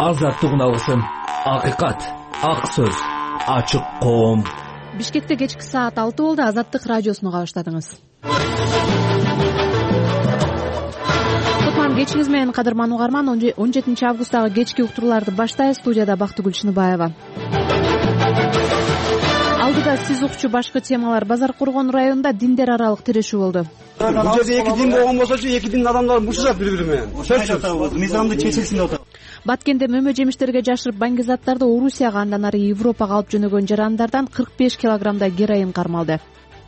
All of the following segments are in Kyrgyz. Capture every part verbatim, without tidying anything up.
азаттыгын алсын. Акыйкат, ак сөз, ачык коом. Бишкекте кечки саат алты болду. Азаттык радиосуну уга баштадыңыз. Кутман кечиңиз менен кадырман угарман. он жетинчи августтагы кечки уктурууларды баштайбыз. Студияда Бактыгүл Чыныбаева. Алдыда сиз укчу башкы темалар. Базар Коргон районунда диндер аралык тирешүү болду. Бул жерде эки дин болгон болсочу, эки дин адамдары мушушат бири-бири менен. Сөзсүз мыйзамды чечилсин деп атат. Баткенде мөмө жемиштерге жашырып баңгизаттарды Орусияга андан ары Европага алып жөнөгөн жарандардан кырк беш килограммдай героин кармалды.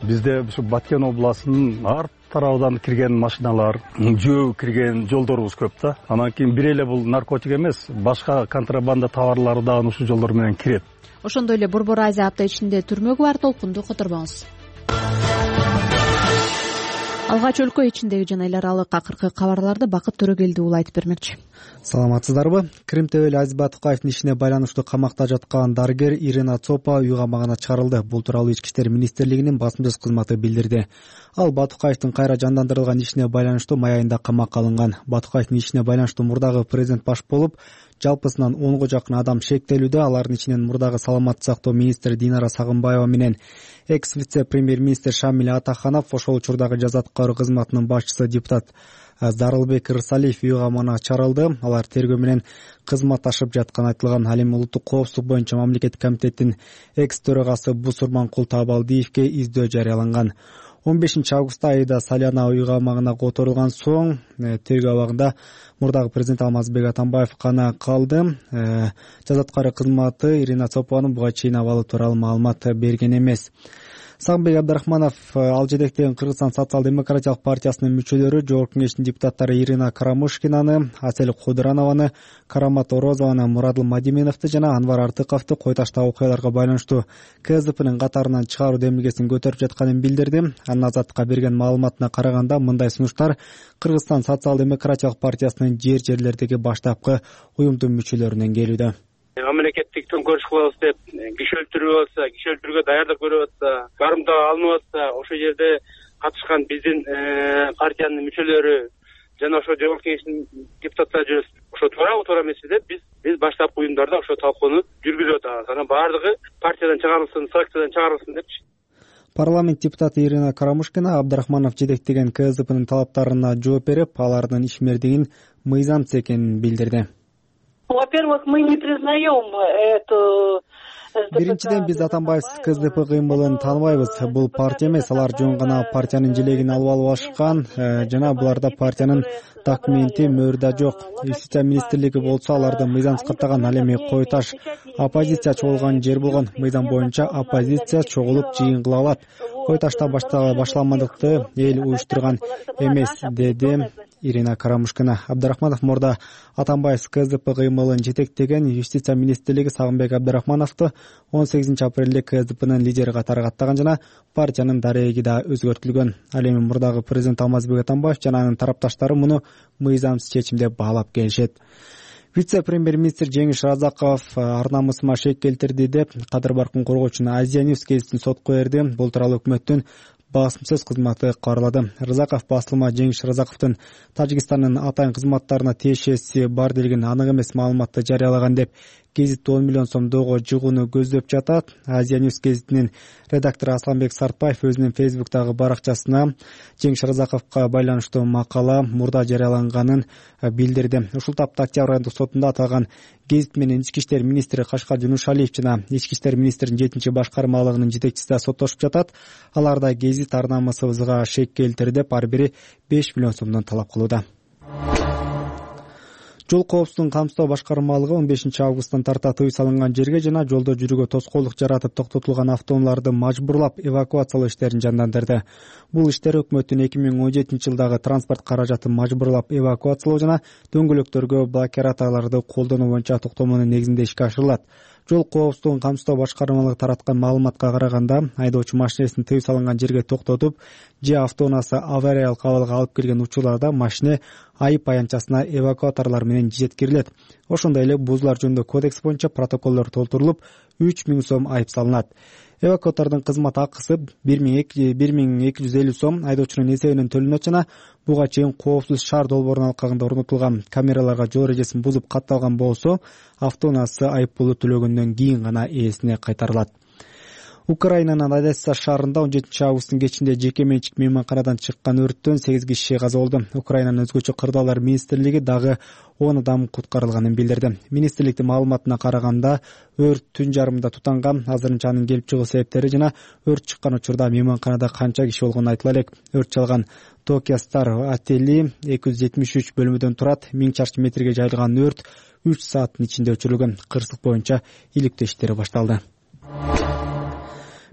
Бизде ушу Баткен областынын ар тарабынан кирген машиналар, жөө кирген жолдорубуз көп да. Анан кийин бир эле бул наркотик эмес, башка контрабанда товарлары дагы ушул жолдор менен кирет. Ошондой эле Борбор Азия апта ичинде түрмөгө бар. Толкунду которбоңуз. Алгач өлкө ичиндеги жана эл аралык акыркы кабарларды Бакыт Төрөгелди уулу айтып бермекчи. Саламатсыздарбы? Крим Тебели Азиз Батукаевдин ишине байланыштуу камакта жаткан дарыгер Ирина Цопа үй камагына чыгарылды. Бул тууралуу Ички иштер министрлигинин басма-сөз кызматы билдирди. Ал Батукаевдин кайра жандандырылган ишине байланыштуу май айында камакка алынган. Батукаевдин ишине байланыштуу мурдагы президент баш болуп, жалпысынан онго жакын адам шектелүүдө. Алардын ичинен мурдагы саламаттык сактоо министри Динара Сагынбаева менен экс вице-премьер-министр Шамиль Атаханов, ошол учурдагы жаза аткаруу кызматынын башчысы депутат Зарылбек Рысалиев үй камагына чыгарылды. Алар тергөө менен кызматташып жатканы айтылган. Ал эми улуттук коопсуздук боюнча мамлекеттик комитеттин экс төрагасы Бусурманкул Табалдиевге издөө жарыяланган. он бешинчи августта Аида Салянова үй камагына которулган соң тергөө абагында мурдагы президент Алмазбек Атамбаев гана калды. Жаза аткаруу кызматы Ирина Цопованын буга чейин абалы тууралуу маалымат берген эмес. Сагынбек Абдрахманов, ал жетектеген Кыргызстан социал-демократиялык партиясынын мүчөлөрү Жогорку кеңештин депутаттары Ирина Карамушкинаны, Асель Кудуранованы, Карамат Орозованы, Мурадыл Мадименовду жана Анвар Артыковду кой таштагы окуяларга байланыштуу КСДПнын катарынан чыгаруу демилгесин көтөрүп жатканын билдирди. Анын Азаттыкка берген маалыматына караганда мындай сунуштар Кыргызстан социал-демократиялык партиясынын жер жерлердеги баштапкы уюмдун мүчөлөрүнөн келүүдө. Мамлекеттик төңкөрүш кылабыз деп киши өлтүрүп атса, киши өлтүрүүгө даярдык көрүп атса, карымдаа алынып атса, ошол жерде катышкан биздин партиянын мүчөлөрү жана ошо Жогорку кеңештин депутаттары жүрөбүз. Ошо туурабы, туура эмеспи деп биз биз баштапкы уюмдарда ошо талкууну жүргүзүп атабыз. Анан баардыгы партиядан чыгарылсын, фракциядан чыгарылсын депчи. Парламент депутаты Ирина Карамушкина Абдрахманов жетектеген КСДПнын талаптарына жооп берип, алардын ишмердигин мыйзамсыз экенин билдирди. Во-первых, мы не признаем эту... Биринчиден, биз Атамбаевсиз КСДП кыймылын тааныбайбыз. Бул партия эмес, алар жөн гана партиянын желегин алып алып ашкан жана буларда партиянын документи, мөөрү да жок. Юстиция министрлиги болсо аларды мыйзамсыз каттаган. Ал эми кой таш оппозиция чогулган жер болгон. Мыйзам боюнча оппозиция чогулуп жыйын кыла алат. Кой ташта башламандыкты эл уюштурган эмес, деди Ирина Карамушкина. Абдрахманов мурда Атамбаевсиз КСДП кыймылын жетектеген Юстиция министрлиги Сагынбек Абдрахмановду он сегизинчи апрелде КСДПнын лидери катары каттаган жана партиянын дареги да өзгөртүлгөн. Ал эми мурдагы президент Алмазбек Атамбаев жана анын тарапташтары муну мыйзамсыз чечим деп баалап келишет. Вице-премьер-министр Жеңиш Разаков ар намысыма шек келтирди деп Кадыр Баркын коргоочу Азия Ньюс гезитин сотко берди. Бул тууралуу өкмөттүн басма-сөз кызматы кааралады. Разаков басылма Жеңиш Разаковдун Тажикстандын атайын кызматтарына тиешеси бар делген анык эмес маалыматты жарыялаган деп гезит он миллион сомдогу жыгууну көздөп жатат. Азия Ньюс гезитинин редактору Асланбек Сартбаев өзүнүн Фейсбуктагы баракчасына Жеңиш Разаковго байланыштуу макала мурда жарыяланганын билдирди. Ушул тапта Октябрь айындык сотунда аталган гезит менен Ички иштер министри Кашкар Жунушалиев жана Ички иштер министринин жетинчи башкармалыгынын жетекчиси да соттошуп жатат. Аларда гезит ар намысыбызга шек келтирди деп ар бири беш миллион сомдон талап кылууда. Жол коопсуздугун камсыздоо башкармалыгы он бешинчи августтан тарта тыюу салынган жерге жана жолдо жүрүүгө тоскоолдук жаратып токтотулган автоунааларды мажбурлап эвакуациялоо иштерин жандандырды. Бул иштер өкмөттүн эки миң он жетинчи жылдагы транспорт каражатын мажбурлап эвакуациялоо жана дөңгөлөктөргө блокираторлорду колдонуу боюнча токтомонун негизинде ишке ашырылат. Жол коопсуздугун камсыздоо башкармалыгы тараткан маалыматка караганда, айдоочу машинесин тыюу салынган жерге токтотуп, же автоунаасы авариялык абалга алып келген учурларда машине айып аянтчасына эвакуаторлор менен жеткирилет. Ошондой эле бузуулар жөнүндө кодекс боюнча протоколдор толтурулуп, үч миң сом айып салынат. эвакуатордун кызмат акысы бир миң эки жүз элүү сом айдоочунун эсебинен төлөнөт жана буга чейин коопсуз шаар долбоорунун алкагында орнотулган камераларга жол эрежесин бузуп катталган болсо автоунаасы айыппулду төлөгөндөн кийин гана ээсине кайтарылат. Украинанын Одесса шаарында он жетинчи августтун кечинде жеке менчик мейманканадан чыккан өрттөн сегиз киши каза болду. Украинанын өзгөчө кырдаалар министрлиги дагы он адам куткарылганын билдирди. Министрликтин маалыматына караганда өрт түн жарымында тутанган. Азырынча анын келип чыгуу себептери жана өрт чыккан учурда мейманканада канча киши болгону айтыла элек. Өрт чалган Tokyo Star отели эки жүз жетимиш үч бөлмөдөн турат. миң чарчы метрге жайылган өрт үч сааттын ичинде өчүрүлгөн. Кырсык боюнча иликтөө иштери башталды.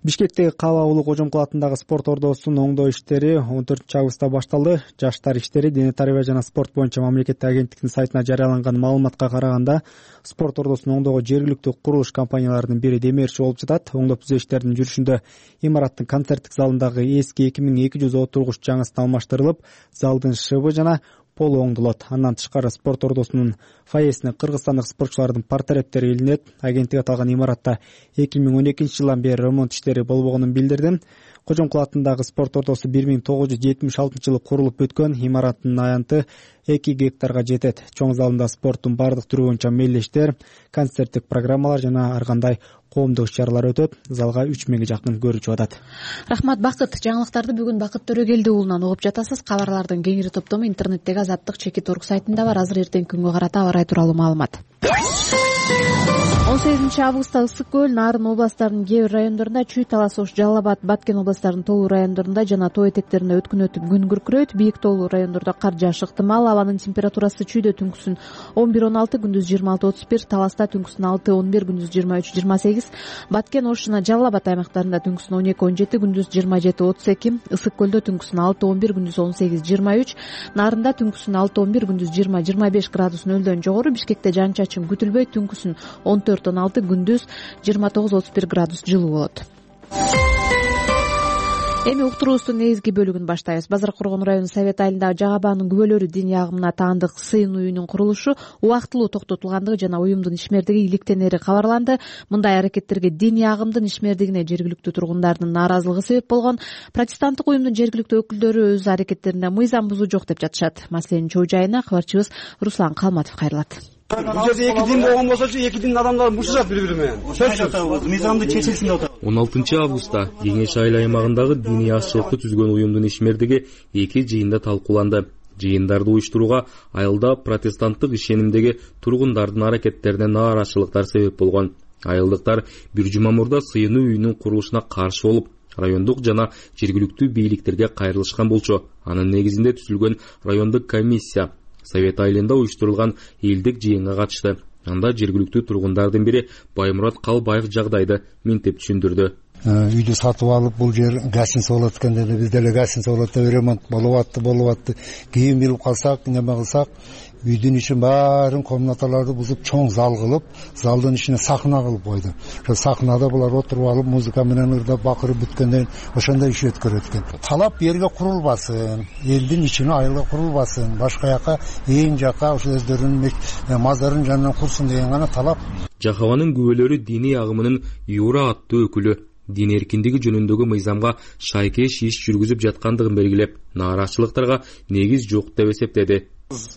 Бишкектеги Каба улуу Кожомкул атындагы спорт ордосунун оңдоо иштери он төртүнчү августта башталды. Жаштар иштери Дене тарбия жана спорт боюнча мамлекеттик агенттиктин сайтына жарыяланган маалыматка караганда, спорт ордосун оңдоого жергиликтүү курулуш компанияларынын бири демерчи болуп жатат. Оңдоп түзөө иштеринин жүрүшүндө имараттын концерттик залындагы эски эки миң эки жүз отургуч жаңысына алмаштырылып, залдын шыбы жана полу оңдолот. Андан тышкары спорт ордосунун фойесине кыргызстандык спортчулардын портреттери илинет. Агенттик аталган имаратта эки миң он экинчи жылдан бери ремонт иштери болбогонун билдирди. Кожомкул атындагы спорт ордосу бир миң тогуз жүз жетимиш алтынчы жылы курулуп бүткөн. Имараттын аянты эки гектарга жетет. Чоң залында спорттун бардык түрү боюнча мелдештер, концерттик программалар жана ар кандай коомдук иш-чаралар өтөт. Залга үч миңге жакын көрүүчү атат. Рахмат, Бакыт. Жаңылыктарды бүгүн Бакыт Төрөгелди уулунан угуп жатасыз. Кабарлардын кеңири топтому интернеттеги Азаттык чекит орг сайтында бар. Азыр эртеңки күнгө карата аба ырайы тууралуу маалымат. он сегизинчи августта Ысык көл, Нарын областарынын кээ бир райондорунда чүй, Талас Ош, Жалал Абад, Баткен областарынын тоолуу райондорунда жана тоо этектеринде өткүн өтүп күн күркүрөйт. Бийик тоолуу райондордо кар жаашы ыктымал. Абанын температурасы чүйдө түнкүсүн он бир он алты, күндүз жыйырма алты отуз бир, Таласта түнкүсүн алты он бир, күндүз жыйырма үч жыйырма сегиз, Баткен, Ош жана Жалал Абад аймактарында түнкүсүн он эки он жети, күндүз жыйырма жети отуз эки, Ысык көлдө түнкүсүн алты он бир, күндүз он сегиз жыйырма үч, Нарында түнкүсүн алты он бир, күндүз жыйырма жыйырма беш градус нөлдөн жогору. Бишкекте жан чачын күтүлбөйт, түнкүсүн он төрт он алты, күндүз жыйырма тогуз отуз бир градус жылуу болот. Эми уктуруубуздун негизги бөлүгүн баштайбыз. Базар Коргон району совет айылындагы Жагабаанын күбөлөрү диний агымына таандык сыйын үйүнүн курулушу убактылуу токтотулгандыгы жана уюмдун ишмердиги иликтенери кабарланды. Мындай аракеттерге диний агымдын ишмердигине жергиликтүү тургундардын нааразылыгы себеп болгон. Протестанттык уюмдун жергиликтүү өкүлдөрү өз аракеттеринде мыйзам бузуу жок деп жатышат. Маселенин чоо жайына кабарчыбыз Руслан Калматов кайрылат. Бул жерде эки дин болгон болсочу, эки дин адамдары мушушат бири бири менен. Мыйзамды чечилсин деп атат. он алтынчы августта Кеңеш айыл аймагындагы диний азчылыкты түзгөн уюмдун ишмердиги эки жыйында талкууланды. Жыйындарды уюштурууга айылда протестанттык ишенимдеги тургундардын аракеттерине нааразычылыктар себеп болгон. Айылдыктар бир жума мурда сыйынуу үйүнүн курулушуна каршы болуп, райондук жана жергиликтүү бийликтерге кайрылышкан болчу. Анын негизинде түзүлгөн райондук комиссия совет айылында уюштурулган элдик жыйынга катышты. Анда жергиликтүү тургундардын бири Баймурат Калбаев жагдайды минтип түшүндүрдү. Үйдү сатып алып, бул жер гостиница болот экен деди. Биз деле гостиница болот деп ремонт болуп атты, болуп атты. Кийин билип калсак, неме кылсак, үйдүн ишин баарын комнаталарды бузуп, чоң зал кылып, залдын ишине сахна кылып койду. Ошо сахнада булар отуруп алып, музыка менен ырдап, бакырып бүткөндөн ошондой иш өткөрөт экен. Талап жерге курулбасын, элдин ичине айылга курулбасын, башка жака, эң жака ошо өздөрүнүн мазарын жанынан курсун деген гана талап. Жахабанын күбөлөрү диний агымынын Юра аттуу өкүлү дин эркиндиги жөнүндөгү мыйзамга шайкеш иш жүргүзүп жаткандыгын белгилеп, нааразычылыктарга негиз жок деп эсептеди.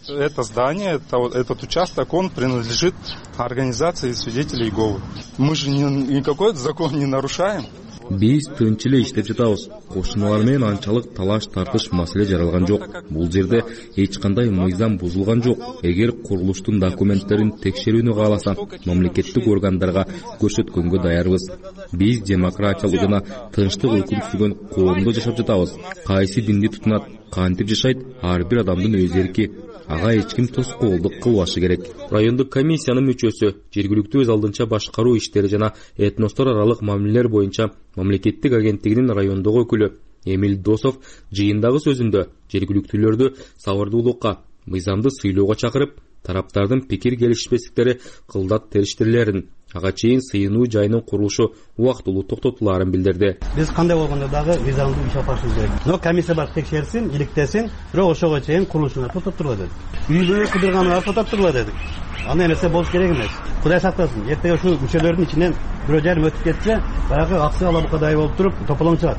Это здание, это, этот участок, он принадлежит организации свидетелей Иеговы. Мы же ни, никакой закон не нарушаем. Биз тынч эле иштеп жатабыз. Кошуналар менен анчалык талаш тартыш маселе жаралган жок. Бул жерде эч кандай мыйзам бузулган жок. Эгер курулуштун документтерин текшерүүнү кааласа, мамлекеттик органдарга көрсөткөнгө даярбыз. Биз демократиялык жана тынчтык өкүм сүргөн коомдо жашап жатабыз. Кайсы динди тутунат, кантип жашайт, ар бир адамдын өз эрки. Ага эч ким тоскоолдук кылбашы керек. Райондук комиссиянын мүчөсү, жергиликтүү өз алдынча башкаруу иштери жана этностор аралык мамилелер боюнча мамлекеттик агенттигинин райондогу өкүлү Эмил Досов жыйындагы сөзүндө жергиликтүүлөрдү сабырдуулукка, мыйзамды сыйлоого чакырып, тараптардын пикир келишпестиктери кылдат териштирилерин, ага чейин сыйынуу жайынын курулушу убактылуу токтотулаарын билдирди. Биз кандай болгондо дагы мыйзамды иш алып барышыбыз керек. Но комиссия бар текшерсин, иликтесин, бирок ошого чейин курулушуна токтотургула дедик. Үйдү кыдырганга токтотургула дедик. Аны эмесе болуш керек эмес. Кудай сактасын, эртеге ушул мүчөлөрдүн ичинен бирөө жарым өтүп кетсе баягы аксы алабукадай болуп туруп тополоң чыгат.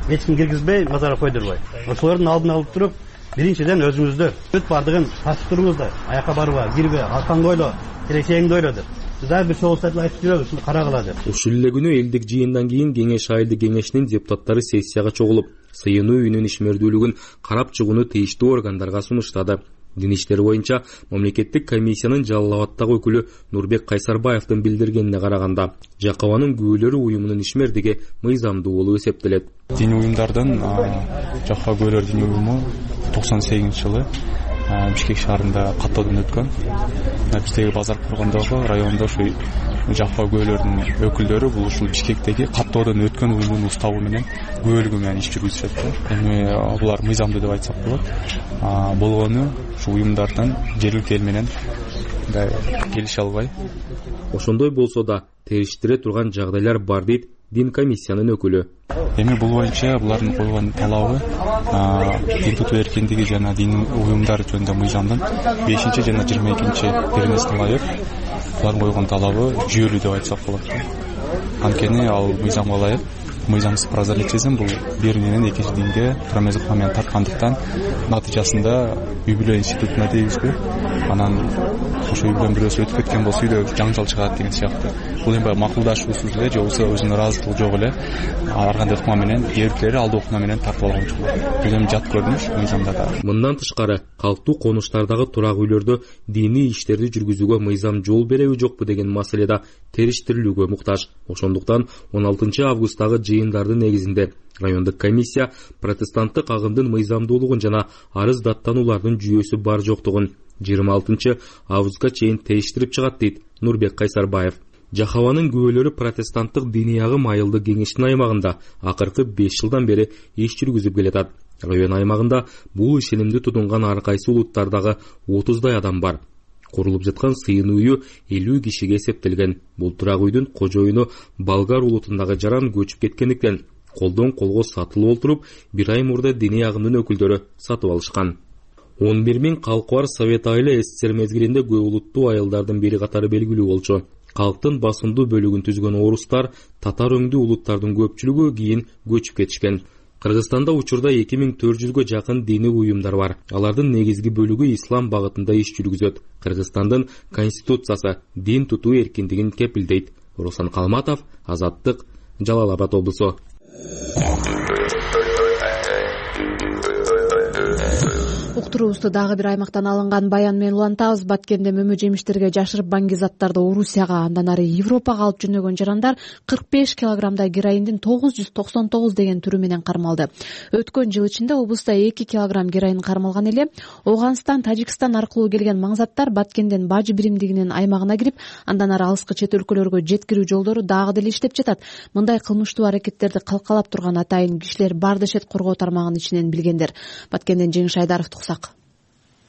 Эч ким киргизбей, мазарга койдурбай. Ошолордун алдын алып туруп, биринчиден өзүңүздө бүт бардыгын тартып туруңуздар. Аякка барба, кирбе, аркаңды ойло, келечегиңди ойло деп. Дагы бир чогуу айтып жүрөбүз, ушуну карагыла деп. Ушул эле күнү элдик жыйындан кийин Кеңеш айылдык кеңешинин депутаттары сессияга чогулуп, сыйынуу үйүнүн ишмердүүлүгүн карап чыгууну тийиштүү органдарга сунуштады. Дин иштери боюнча мамлекеттик комиссиянын Жалал Абаддагы өкүлү Нурбек Кайсарбаевдин билдиргенине караганда, Жакабанын күбөлөрү уюмунун ишмердиги мыйзамдуу болуп эсептелет. Диний уюмдардын Жакаба күбөлөр диний уюму токсон сегизинчи жылы Бишкек шаарында каттоодон өткөн. Биздеги базар кургондогу райондо ушу Жакаба күбөлөрдүн өкүлдөрү бул ушул Бишкектеги каттоодон өткөн уюмдун уставы менен күбөлүгү менен иш жүргүзүшөт. Эми булар мыйзамдуу деп айтсак болот. Болгону ушу уюмдардын жергиликтүү эл менен келише албай. Ошондой болсо да териштире турган жагдайлар бар дейт дин комиссиянын өкүлү. Эми бул боюнча булардын койгон талабы дин тутуу эркиндиги жана дин уюмдар жөнүндө мыйзамдын бешинчи жана жыйырма экинчи беренесине ылайык булардын койгон талабы жүйөлүү деп айтсак болот. Анткени ал мыйзамга ылайык, мыйзамсыз прозелитизм бул бир динен экинчи динге туура ыкма менен тарткандыктан натыйжасында үй бүлө институтуна тийгизбей, анан ошо үй бүлөнүн бирөөсү өтүп кеткен болсо үйдө жаңжал чыгат деген сыяктуу. Бул эми макулдашуусуз эле же болбосо өзүнүн ыраазычылыгы жок эле ар кандай ыкма менен эркелери алдуу ыкма менен тартып алган. Бул эми жат көрүнүш мыйзамда да. Мындан тышкары калктуу конуштардагы турак үйлөрдө диний иштерди жүргүзүүгө мыйзам жол береби жокпу деген маселе да териштирилүүгө муктаж. Ошондуктан он алтынчы августтагы жыйындардын негизинде райондук комиссия протестанттык агымдын мыйзамдуулугун жана арыз даттануулардын жүйөсү бар жоктугун жыйырма алтынчы августка чейин териштирип чыгат дейт Нурбек Кайсарбаев. Жакабанын күбөлөрү протестанттык диний агым айылдык кеңештин аймагында акыркы беш жылдан бери иш жүргүзүп келатат. Район аймагында бул ишенимди тутунган ар кайсы улуттардагы отуздай адам бар. Курулуп жаткан сыйынуу үйү элүү кишиге эсептелген. Бул турак үйдүн кожоюну болгар улутундагы жаран көчүп кеткендиктен колдон колго сатылып олтуруп, бир ай мурда диний агымдын өкүлдөрү сатып алышкан. он бир миң калкы бар Совет айылы СССР мезгилинде көп улуттуу айылдардын бири катары белгилүү болчу. Калктын басымдуу бөлүгүн түзгөн орустар, татар өңдүү улуттардын көпчүлүгү кийин көчүп кетишкен. Кыргызстанда учурда эки миң төрт жүзгө жакын диний уюмдар бар. Алардын негизги бөлүгү ислам багытында иш жүргүзөт. Кыргызстандын конституциясы дин тутуу эркиндигин кепилдейт. Руслан Калматов, Азаттык, Жалал Абад облусу. Уктуруубузду дагы бир аймактан алынган баян менен улантабыз. Баткенде мөмө жемиштерге жашырып баңгизаттарды Орусияга, андан ары Европага алып жөнөгөн жарандар кырк беш килограммдай героиндин тогуз жүз токсон тогуз деген түрү менен кармалды. Өткөн жыл ичинде облуста эки килограмм героин кармалган эле. Ооганстан, Тажикстан аркылуу келген маңзаттар Баткенден Бажы биримдигинин аймагына кирип, андан ары алыскы чет өлкөлөргө жеткирүү жолдору дагы деле иштеп жатат. Мындай кылмыштуу аракеттерди калкалап турган атайын кишилер бар дешет коргоо тармагынын ичинен билгендер. Баткенден Жеңиш Айдаров туксак.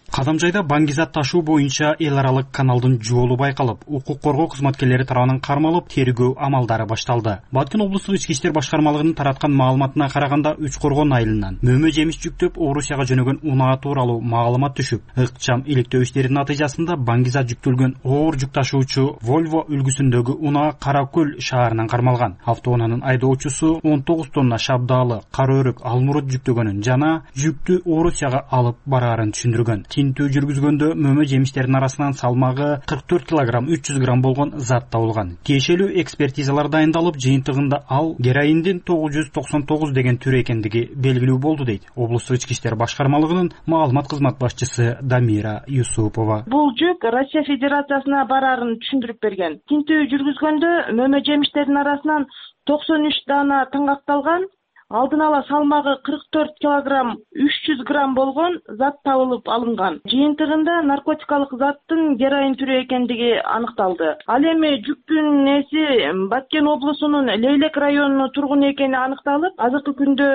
Кадамжайда баңгизат ташуу боюнча эл аралык каналдын жолу байкалып, укук коргоо кызматкерлери тарабынан кармалып, тергөө амалдары башталды. Баткен облустук ички иштер башкармалыгынын тараткан маалыматына караганда, Үч Коргон айылынан мөмө жемиш жүктөп Орусияга жөнөгөн унаа тууралуу маалымат түшүп, ыкчам иликтөө иштеринин натыйжасында баңгизат жүктөлгөн оор жүк ташуучу Volvo үлгүсүндөгү унаа Каракөл шаарынан кармалган. Автоунаанын айдоочусу он тогуз тонна шабдаалы, кара өрүк, алмурут жүктөгөнүн жана жүктү Орусияга алып бараарын түшүндүргөн. Тинтүү жүргүзгөндө мөмө жемиштердин арасынан салмагы кырк төрт килограмм үч жүз грамм болгон зат табылган. Тиешелүү экспертизалар дайындалып, жыйынтыгында ал героиндин тогуз жүз токсон тогуз деген түрү экендиги белгилүү болду дейт облустук ички иштер башкармалыгынын маалымат кызмат башчысы Дамира Юсупова. Бул жүк Россия Федерациясына бараарын түшүндүрүп берген. Тинтүү жүргүзгөндө мөмө жемиштердин арасынан токсон үч даана таңгакталган, алдын ала салмагы кырк төрт килограмм үч жүз грамм болгон зат табылып алынган. Жыйынтыгында наркотикалык заттын героин түрү экендиги аныкталды. Ал эми жүктүн ээси Баткен облусунун Лейлек районунун тургуну экени аныкталып, азыркы күндө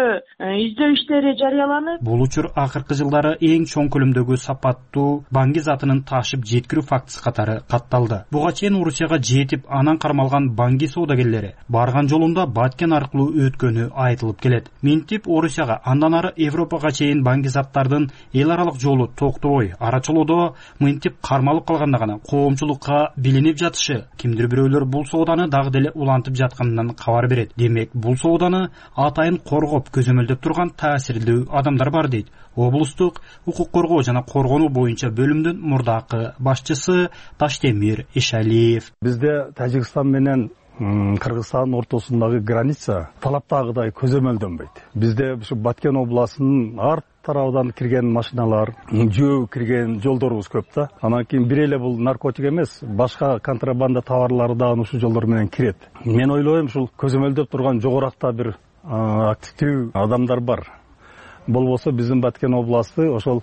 издөө иштери жарыяланып. Бул учур акыркы жылдары эң чоң көлөмдөгү сапаттуу баңги затынын ташып жеткирүү фактысы катары катталды. Буга чейин Орусияга жетип, анан кармалган баңги соодагерлери барган жолунда Баткен аркылуу өткөнү айтылып келет. Минтип Орусияга андан ары Европага чейин баңгизаттардын эл аралык жолу токтобой арачылоодо мынтип кармалып калганда гана коомчулукка билинип жатышы, кимдир бирөөлөр бул сооданы дагы деле улантып жатканынан кабар берет. Демек, бул сооданы атайын коргоп көзөмөлдөп турган таасирлүү адамдар бар дейт облустук укук коргоо жана коргонуу боюнча бөлүмдүн мурдакы башчысы Таштемир Ишалиев. Бизде Тажикстан менен Кыргызстандын ортосундагы граница талаптагыдай көзөмөлдөнбөйт. Бизде ушу Баткен областынын ар тарабынан кирген машиналар, жөө кирген жолдорубуз көп да. Анан кийин бир эле бул наркотик эмес, башка контрабанда товарлары да ушул жолдор менен кирет. Мен ойлойм, ушул көзөмөлдөп турган жогоракта бир активдүү адамдар бар. Болбосо биздин Баткен областы ошол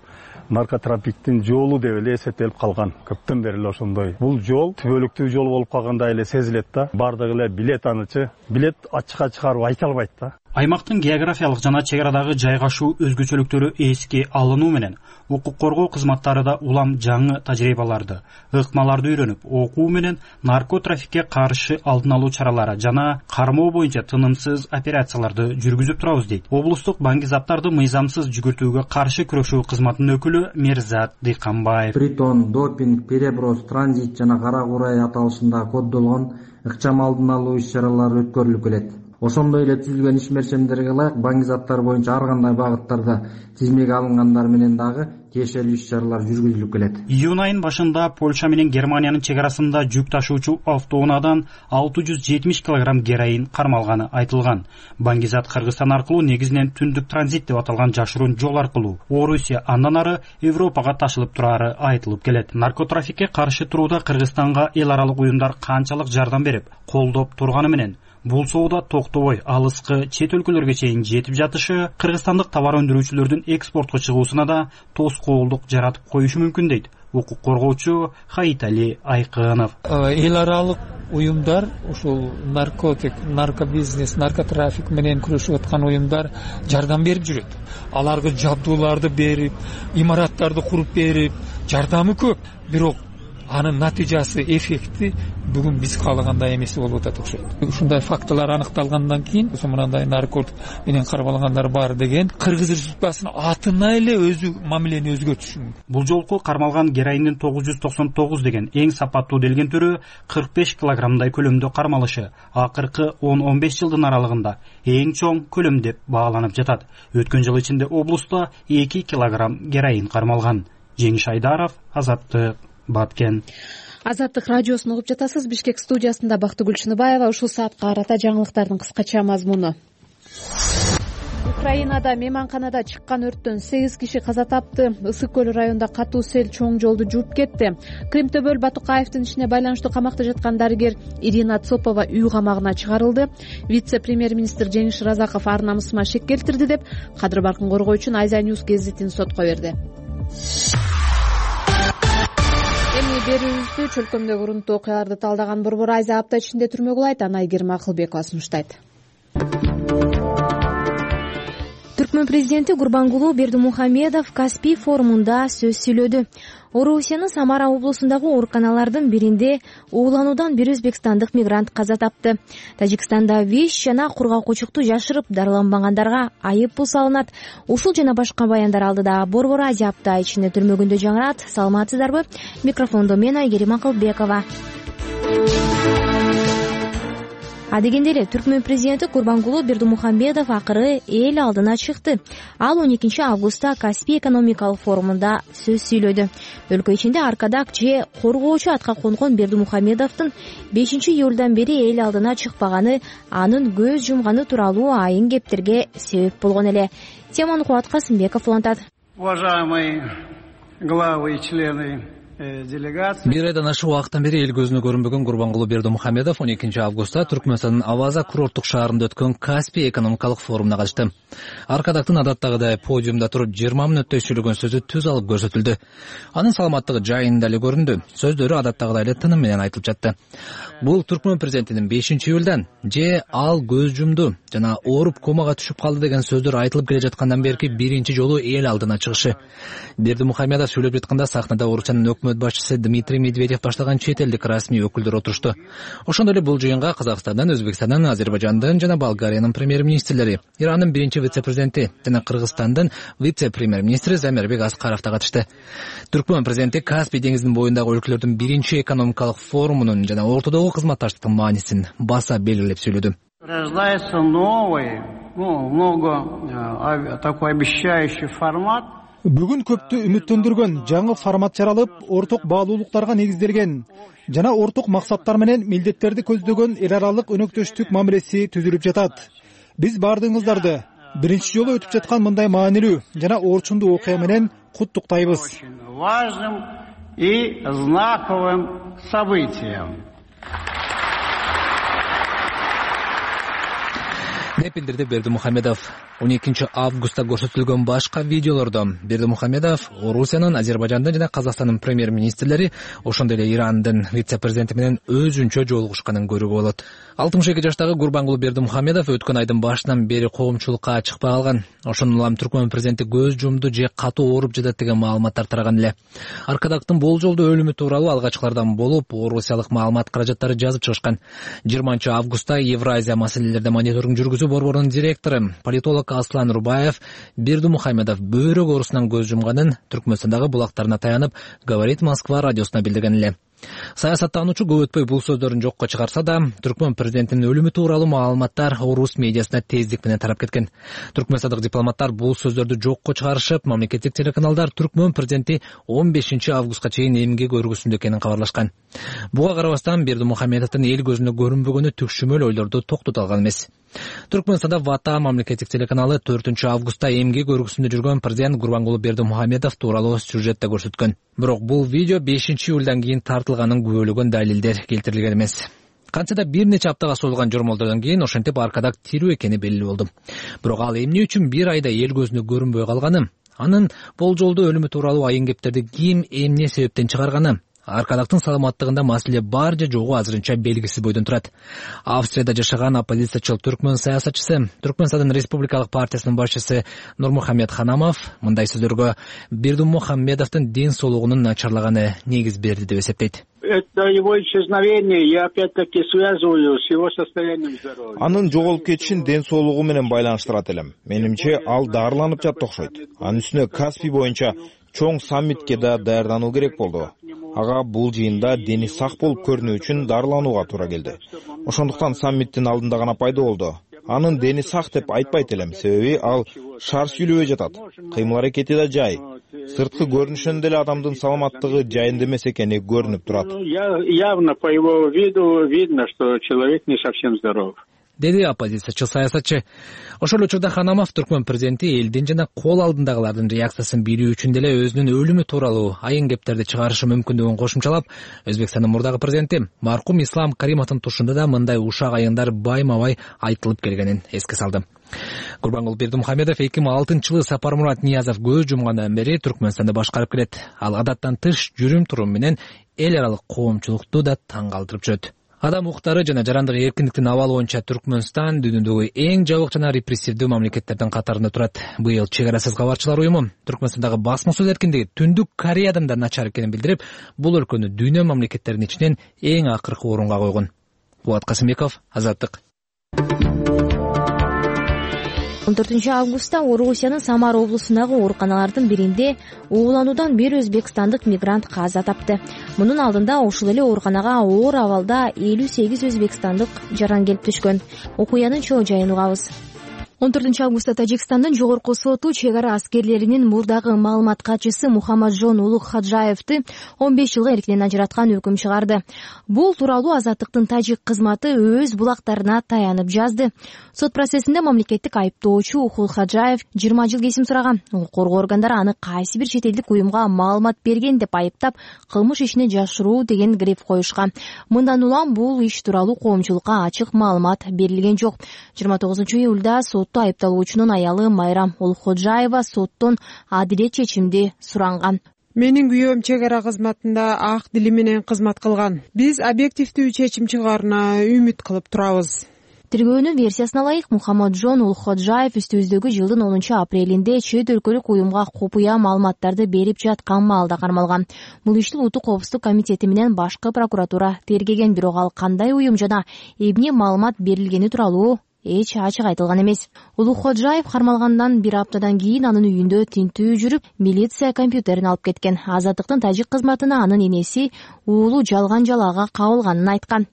наркотрафиктин жолу деп эле эсептелип калган. Көптөн бери эле ошондой. Бул жол түбөлүктүү жол болуп калгандай эле сезилет да. Бардыгы эле билет анычы. Билет ачыкка чыгарып айта албайт да. Аймактын географиялык жана чек арадагы жайгашуу өзгөчөлүктөрү эске алынуу менен укук коргоо кызматтары да улам жаңы тажрыйбаларды, ыкмаларды үйрөнүп, окуу менен наркотрафикке каршы алдын алуу чаралары жана кармоо боюнча тынымсыз операцияларды жүргүзүп турабыз дейт. Облустук баңгизаттарды мыйзамсыз жүгүртүүгө каршы күрөшүү кызматынын өкүлү Мерзат Дыйканбаев. Притон, допинг, переброс, транзит жана кара курай аталышында коддолгон ыкчам алдын алуу иш-чаралары өткөрүлүп келет. Ошондой эле түзүлгөн иш-мерчемдерге ылайык баңгизаттар боюнча ар кандай багыттарда тизмеге алынгандар менен дагы тиешелүү иш-чаралар жүргүзүлүп келет. Июнь айынын башында Польша менен Германиянын чек арасында жүк ташуучу автоунаадан алты жүз жетимиш килограмм героин кармалганы айтылган. Баңгизат Кыргызстан аркылуу негизинен түндүк транзит деп аталган жашыруун жол аркылуу Орусия андан ары Европага ташылып турары айтылып келет. Наркотрафикке каршы турууда Кыргызстанга эл аралык уюмдар канчалык жардам берип, колдоп турганы менен бул соода токтобой алыскы чет өлкөлөргө чейин жетип жатышы кыргызстандык товар өндүрүүчүлөрдүн экспортко чыгуусуна да тоскоолдук жаратып коюшу мүмкүн дейт укук коргоочу Хаитали Айкынов. Эл аралык уюмдар ушул наркотик, наркобизнес, наркотрафик менен күрөшүп аткан уюмдар жардам берип жүрөт. Аларга жабдууларды берип, имараттарды куруп берип, жардамы көп. Бирок анын натыйжасы, эффекти бүгүн биз каалагандай эмес болуп атат окшойт. Ушундай фактылар аныкталгандан кийин мындай наркотик менен кармалгандар бар деген Кыргыз Республикасынын атына эле өзү мамилени өзгөртүшү мүмкүн. Бул жолку кармалган героиндин тогуз жүз токсон тогуз деген эң сапаттуу делген түрү кырк беш килограммдай көлөмдө кармалышы акыркы он он беш жылдын аралыгында эң чоң көлөм деп бааланып жатат. Өткөн жыл ичинде облуста эки килограмм героин кармалган. Жеңиш Айдаров, Азаттык, Баткен. Азаттык радиосун угуп жатасыз. Бишкек студиясында Бактыгүл Чыныбаева. Ушул саатка карата жаңылыктардын кыскача мазмуну. Украинада мейманканада чыккан өрттөн сегиз киши каза тапты. Ысык көл районунда катуу сел чоң жолду жууп кетти. Кымтөбөл Батукаевдин ишине байланыштуу камакта жаткан дарыгер Ирина Цопова үй камагына чыгарылды. Вице-премьер-министр Жеңиш Разаков ар намысыма шек келтирди деп Кадыр Баркын коргоочу Айза Ньюс гезитин сотко берди. Эми берүүбүздү чөлкөмдөгү урунттуу окуяларды талдаган Борбор Айза апта ичинде түрмөгө улайт. Анайгерим Акылбекова сунуштайт. Түркмөн президенти Гурбангулуу Бердимухамедов Каспий форумунда сөз сүйлөдү. Орусиянын Самара облусундагы ооруканалардын биринде уулануудан бир өзбекстандык мигрант каза тапты. Тажикстанда ВИЧ жана кургакчылыкты жашырып дарыланбагандарга айып пул салынат. Ушул жана башка баяндар алдыда Борбор Азия апта ичинде түрмөгүндө жаңырат. Саламатсыздарбы? Микрофондо мен Айгерим Акылбекова. Адегенде эле Түркмөн президенти Гурбангулуу Бердимухамедов акыры эл алдына чыкты. Ал он экинчи августта Каспий экономикалык форумунда сөз сүйлөдү. Өлкө ичинде аркадак же коргоочу атка конгон Бердимухамедовдун бешинчи июлдан бери эл алдына чыкпаганы анын көз жумганы тууралуу айын кептерге себеп болгон эле. Теманы Кубат Касымбеков улантат. Уважаемые главы и члены Бир айдан ашык убакыттан бери эл көзүнө көрүнбөгөн Гурбангулуу Бердимухамедов он экинчи августта Түркмөнстандын Аваза курорттук шаарында өткөн Каспий экономикалык форумуна катышты. Аркадактын адаттагыдай подиумда туруп жыйырма мүнөттөй сүйлөгөн сөзү түз алып көрсөтүлдү. Анын саламаттыгы жайында эле көрүндү. Сөздөрү адаттагыдай эле тыным менен айтылып жатты. Бул Түркмөн президентинин бешинчи июлдан же ал көз жумду жана ооруп комага түшүп калды деген сөздөр айтылып келе жаткандан берки биринчи жолу эл алдына чыгышы. Бердимухамедов сүйлөп жатканда сахнада Орусиянын өкмөт башчысы Дмитрий Медведев баштаган чет элдик расмий өкүлдөр отурушту. Ошондой эле бул жыйынга Казакстандан, Өзбекстандан, Азербайжандын жана Болгариянын премьер-министрлери, Ирандын биринчи вице-президенти жана Кыргызстандын вице-премьер-министри Замирбек Аскаров да катышты. Түркмөн президенти Каспий деңизинин боюндагы өлкөлөрдүн биринчи экономикалык форумунун жана ортодогу кызматташтыктын маанисин баса белгилеп сүйлөдү. Рождается новый, ну, много такой обещающий формат. Бүгүн көптү үмүттөндүргөн жаңы формат жаралып, орток баалуулуктарга негизделген жана орток максаттар менен милдеттерди көздөгөн эл аралык өнөктөштүк мамилеси түзүлүп жатат. Биз баардыгыңыздарды биринчи жолу өтүп жаткан мындай маанилүү жана орчундуу окуя менен куттуктайбыз. Важным и знаковым событием. деп билдирди Бердимухамедов. он экинчи августта көрсөтүлгөн башка видеолордо Бердимухамедов Орусиянын, Азербайжандын жана Казакстандын премьер-министрлери, ошондой эле Ирандын вице-президенти менен өзүнчө жолугушканын көрүүгө болот. алтымыш эки жаштагы Гурбангулу Бердимухамедов өткөн айдын башынан бери коомчулукка чыкпай калган. Ошондон улам Түркмөн президенти көз жумду же катуу ооруп жатат деген маалыматтар тараган эле. Аркадактын болжолдуу өлүмү тууралуу алгачкылардан болуп, орусиялык маалымат каражаттары жазып чыгышкан. жыйырманчы августта Евразия маселелерде мониторинг жүргүзүү борборунун директору, политолог Аслан Рубаев Бердимухамедов бөйрөк оорусунан көз жумганын Түркмөнстандагы булактарына таянып, Говорит Москва радиосуна билдирген эле. Саясаттануучу көп өтпөй бул сөздөрүн жокко чыгарса да, Түркмөн президентинин өлүмү тууралуу маалыматтар орус медиасына тездик менен тарап кеткен. Түркмөнстандык дипломаттар бул сөздөрдү жокко чыгарышып, мамлекеттик телеканалдар Түркмөн президенти он бешинчи августка чейин эмгек өргүсүндө экенин кабарлашкан. Буга карабастан Бердимухамедовдун эл көзүнө көрүнбөгөнү түкшүмөл ойлорду токтото алган эмес. Түркмөнстанда Вата мамлекеттик телеканалы төртүнчү августта эмгек өргүсүндө жүргөн президент Гурбангулу Бердимухамедов тууралуу сюжетте көрсөткөн. Бирок бул видео бешинчи июлдан кийин тартылганын күбөлөгөн далилдер келтирилген эмес. Кантса да бир нече аптага созулган жормолдордон кийин ошентип Аркадак тирүү экени белгилүү болду. Бирок ал эмне үчүн бир айда эл көзүнө көрүнбөй калганы, анын болжолдуу өлүмү тууралуу айын кептерди ким эмне себептен чыгарганы, Аркадактын саламаттыгында маселе бар же жогу азырынча белгисиз бойдон турат. Австрияда жашаган оппозициячыл түркмөн саясатчысы, Түркмөнстандын Республикалык партиясынын башчысы Нурмухамед Ханамов мындай сөздөргө Бердимухамедовдун ден соолугунун начарлаганы негиз берди деп эсептейт. Это его исчезновение я опять-таки связываю с его состоянием здоровья. Анын жоголуп кетишин ден соолугу менен байланыштырат элем. Менимче ал дарыланып жатты окшойт. Анын үстүнө Каспий боюнча чоң саммитке да даярдануу керек болду. Ага бул жыйында дени сак болуп көрүнүү үчүн дарыланууга туура келди. Ошондуктан саммиттин алдында гана пайда болду. Анын дени сак деп айтпайт элем, себеби ал шар сүйлөбөй жатат. Кыймыл аракети да жай. Сырткы көрүнүшүнөн деле адамдын саламаттыгы жайында эмес экени көрүнүп турат. Явно по его виду видно, что человек не совсем здоров. Деди оппозициячы саясатчы. Ошол учурда Ханамов Түркмөн президенти элдин жана кол алдындагылардын реакциясын билүү үчүн деле өзүнүн өлүмү тууралуу айын кептерди чыгарышы мүмкүндүгүн кошумчалап, Өзбекстандын мурдагы президенти маркум Ислам Каримовдун тушунда да мындай ушак айындар байма-бай айтылып келгенин эске салды. Гурбангулу Бердимухамедов эки миң алтынчы жылы Сапармурат Ниязов көз жумгандан бери Түркмөнстандды башкарып келет. Ал адаттан тыш жүрүм-турум менен эл аралык коомчулукту да таң калтырып жүрөт. Адам укуктары жана жарандык эркиндиктин абалы боюнча Түркмөнстан дүйнөдөгү эң жабык жана репрессивдүү мамлекеттердин катарында турат. Быйыл Чек арасыз кабарчылар уюму Түркмөнстандагы басма сөз эркиндиги Түндүк Кореядан да начар экенин билдирип, бул өлкөнү дүйнө мамлекеттеринин ичинен эң акыркы орунга койгон. Булат Касымбеков, Азаттык. он төртүнчү августта Орусиянын Самара облусундагы ооруканалардын биринде уулануудан бир өзбекстандык мигрант каза тапты. Мунун алдында ошол эле ооруканага оор абалда элүү сегиз өзбекстандык жаран келип түшкөн. Окуянын чоо жайын угабыз. он төртүнчү августта Тажикстандын жогорку соту чек ара аскерлеринин мурдагы маалымат катчысы Мухаммаджон Улук-Хаджаевди он беш жылга эркинен ажыраткан өкүм чыгарды. Бул тууралуу Азаттыктын тажик кызматы өз булактарына таянып жазды. Сот процессинде мамлекеттик айыптоочу Ухул-Хаджаев жыйырма жыл кесим сураган. Укук коргоо органдары аны кайсы бир чет элдик уюмга маалымат берген деп айыптап, кылмыш ишине жашыруу деген гриф коюшкан. Мындан улам бул иш тууралуу коомчулукка ачык маалымат берилген жок. жыйырма тогузунчу июлда сот айыпталуучунун аялы Майрам Улуходжаева соттон адилет чечимди суранган. Менин күйөөм чек ара кызматында ак дили менен кызмат кылган. Биз объективдүү чечим чыгаарына үмүт кылып турабыз. Тергөөнүн версиясына ылайык Мухаммаджон Улукходжаев үстүбүздөгү жылдын онунчу апрелинде чет өлкөлүк уюмга купуя маалыматтарды берип жаткан маалда кармалган. Бул ишти Улуттук коопсуздук комитети менен башкы прокуратура тергеген, бирок ал кандай уюм жана эмне маалымат берилгени тууралуу эч ачык айтылган эмес. Улукходжаев кармалгандан бир аптадан кийин анын үйүндө тинтүү жүрүп, милиция компьютерин алып кеткен. Азаттыктын тажик кызматына анын энеси уулу жалган жалаага кабылганын айткан.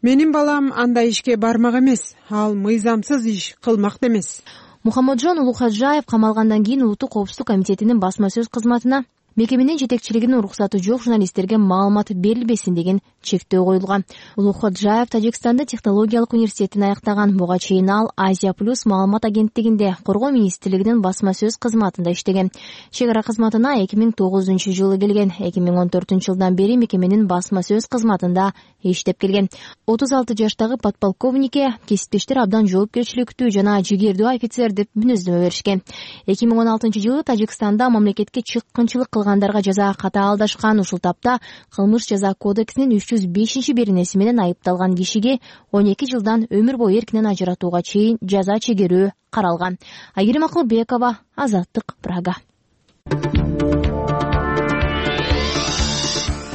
Менин балам андай ишке бармак эмес, ал мыйзамсыз иш кылмак эмес. Мухаммаджон Улукходжаев камалгандан кийин Улуттук коопсуздук комитетинин басма сөз кызматына мекеменин жетекчилигинин уруксаты жок журналисттерге маалымат берилбесин деген чектөө коюлган. Улукходжаев Тажикстанда технологиялык университетин аяктаган. Буга чейин ал Азия плюс маалымат агенттигинде коргоо министрлигинин басма сөз кызматында иштеген. Чек ара кызматына эки миң тогузунчу жылы келген. эки миң он төртүнчү жылдан бери мекеменин басма сөз кызматында иштеп келген. отуз алты жаштагы подполковникке кесиптештер абдан жоопкерчиликтүү жана жигердүү офицер деп мүнөздөмө беришкен. эки миң он алтынчы жылы Тажикстанда мамлекетке чыккынчылык кылгандарга жаза катаалдашкан. Ушул тапта кылмыш жаза кодексинин үч жүз бешинчи беренеси менен айыпталган кишиге он эки жылдан өмүр бою эркинен ажыратууга чейин жаза чегерүү каралган. Айгерим Акылбекова, Азаттык, Прага.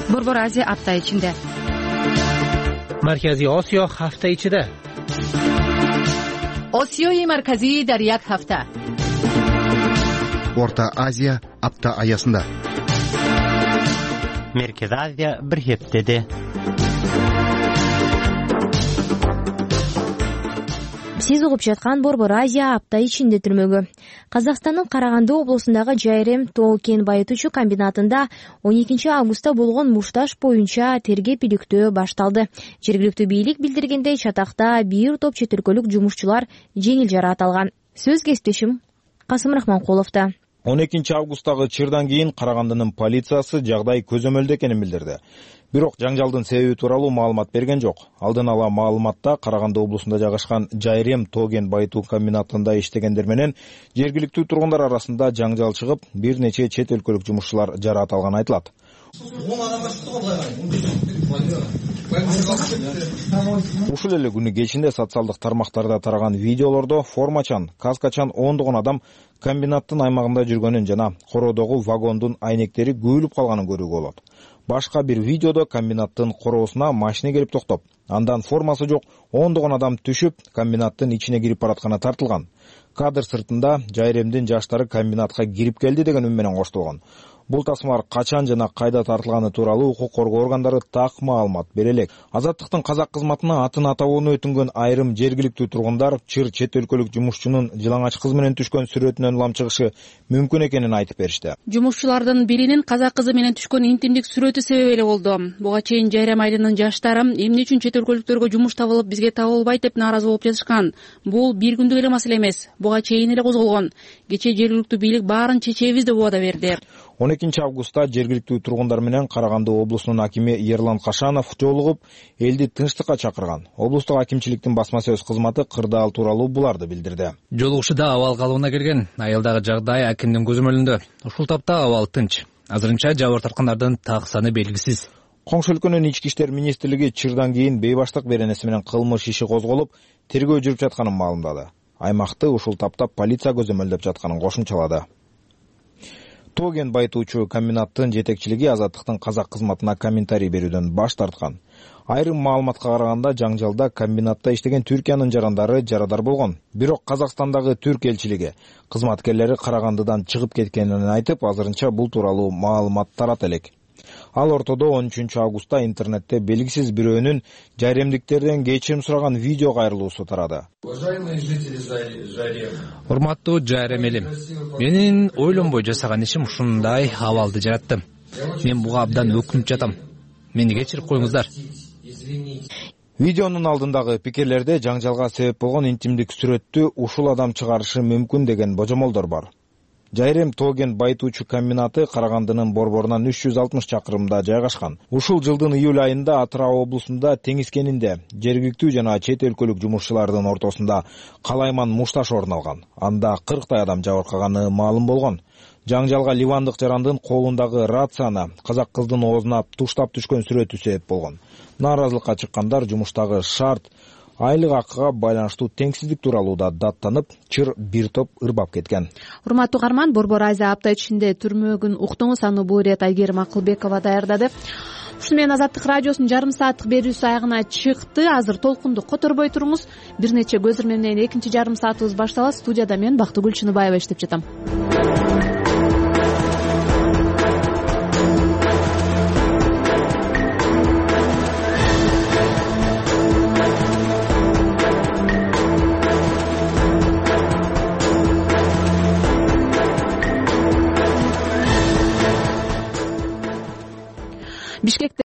Борбор Азия апта ичинде. Марказий Осиё ҳафта ичида. Осиёи марказӣ дар як ҳафта. Орта Азия апта аясында. Merkez Азия bir heftede. Сиз угуп жаткан Борбор Азия апта ичинде түрмөгү. Казакстандын Караганды облусундагы Жайрем тоо-кен байытуучу комбинатында он экинчи августта болгон мушташ боюнча тергеп иликтөө башталды. Жергиликтүү бийлик билдиргендей, чатакта бир топ чет өлкөлүк жумушчулар жеңил жараат алган. Сөз кесиптешим Касым Рахманкуловдо. он экинчи августтагы чырдан кийин Карагандынын полициясы жагдай көзөмөлдө экенин билдирди. Бирок жаңжалдын себеби тууралуу маалымат берген жок. Алдын ала маалыматта Караганды облусунда жайгашкан Жайрем тоо-кен байытуу комбинатында иштегендер менен жергиликтүү тургундар арасында жаңжал чыгып, бир нече чет өлкөлүк жумушчулар жараат алганы айтылат. Ушул эле күнү кечинде социалдык тармактарда тараган видеолордо формачан, каскачан ондогон адам комбинаттын аймагында жүргөнүн жана короодогу вагондун айнектери көбүлүп калганын көрүүгө болот. Башка бир видеодо комбинаттын короосуна машина келип токтоп, андан формасы жок ондогон адам түшүп, комбинаттын ичине кирип баратканы тартылган. Кадр сыртында Жайремдин жаштары комбинатка кирип келди деген үн менен коштолгон. Бул тасмалар качан жана кайда тартылганы тууралуу укук коргоо органдары так маалымат бере элек. Азаттыктын казак кызматына атын атабоону өтүнгөн айрым жергиликтүү тургундар чыр чет өлкөлүк жумушчунун жылаңач кыз менен түшкөн сүрөтүнөн улам чыгышы мүмкүн экенин айтып беришти. Жумушчулардын биринин казак кызы менен түшкөн интимдик сүрөтү себеп эле болду. Буга чейин Жайрем айылынын жаштары эмне үчүн чет өлкөлүктөргө жумуш табылып бизге табылбайт деп нааразы болуп жатышкан. Бул бир күндүк эле маселе эмес. Буга чейин эле козголгон. Кечээ жергиликтүү бийлик баарын чечебиз деп убада берди. он экинчи августта жергиликтүү тургундар менен Караганды облусунун акими Ерлан Кашанов жолугуп, элди тынчтыкка чакырган. Облустук акимчиликтин басма сөз кызматы кырдаал тууралуу буларды билдирди. Жолугушууда абал калыбына келген. Айылдагы жагдай акимдин көзөмөлүндө. Ушул тапта абал тынч. Азырынча жабыр тарткандардын так саны белгисиз. Коңшу өлкөнүн ички иштер министрлиги чырдан кийин бейбаштык беренеси менен кылмыш иши козголуп, тергөө жүрүп жатканын маалымдады. Аймакты ушул тапта полиция көзөмөлдөп жатканын кошумчалады. Тоо-кен байытуучу комбинаттын жетекчилиги Азаттыктын казак кызматына комментарий берүүдөн баш тарткан. Айрым маалыматка караганда жаңжалда комбинатта иштеген Түркиянын жарандары жарадар болгон. Бирок Казакстандагы түрк элчилиги кызматкерлери Карагандыдан чыгып кеткенин айтып, азырынча бул тууралуу маалымат тарата элек. Ал ортодо он үчүнчү августта интернетте белгисиз бирөөнүн жайремдиктерден кечирим сураган видео кайрылуусу тарады. Урматтуу Жайрем элим, менин ойлонбой жасаган ишим ушундай абалды жаратты. Мен буга абдан өкүнүп жатам. Мени кечирип коюңуздар. Видеонун алдындагы пикирлерде жаңжалга себеп болгон интимдик сүрөттү ушул адам чыгарышы мүмкүн деген божомолдор бар. Жайрем тоо-кен байытуучу комбинаты Карагандынын борборунан үч жүз алтымыш чакырымда жайгашкан. Ушул жылдын июль айында Атырау облусунда теңиз кенинде жергиликтүү жана чет өлкөлүк жумушчулардын ортосунда калайман мушташ орун алган. Анда кырктай адам жабыркаганы маалым болгон. Жаңжалга ливандык жарандын колундагы рацияны казак кыздын оозуна туштап түшкөн сүрөтү себеп болгон. Нааразылыкка чыккандар жумуштагы шарт, айлык акыга байланыштуу теңсиздик тууралуу да даттанып, чыр бир топ ырбап кеткен. Урматтуу угарман, Борбор Азия апта ичинде түрмөгүн уктуңуз, аны бул ирет Айгерим Акылбекова даярдады. Ушуну менен Азаттык радиосунун жарым сааттык берүүсү аягына чыкты. Азыр толкунду которбой туруңуз. Бир нече көзүрмө менен экинчи жарым саатыбыз башталат. Студияда мен Бактыгүл Чыныбаева иштеп жатам.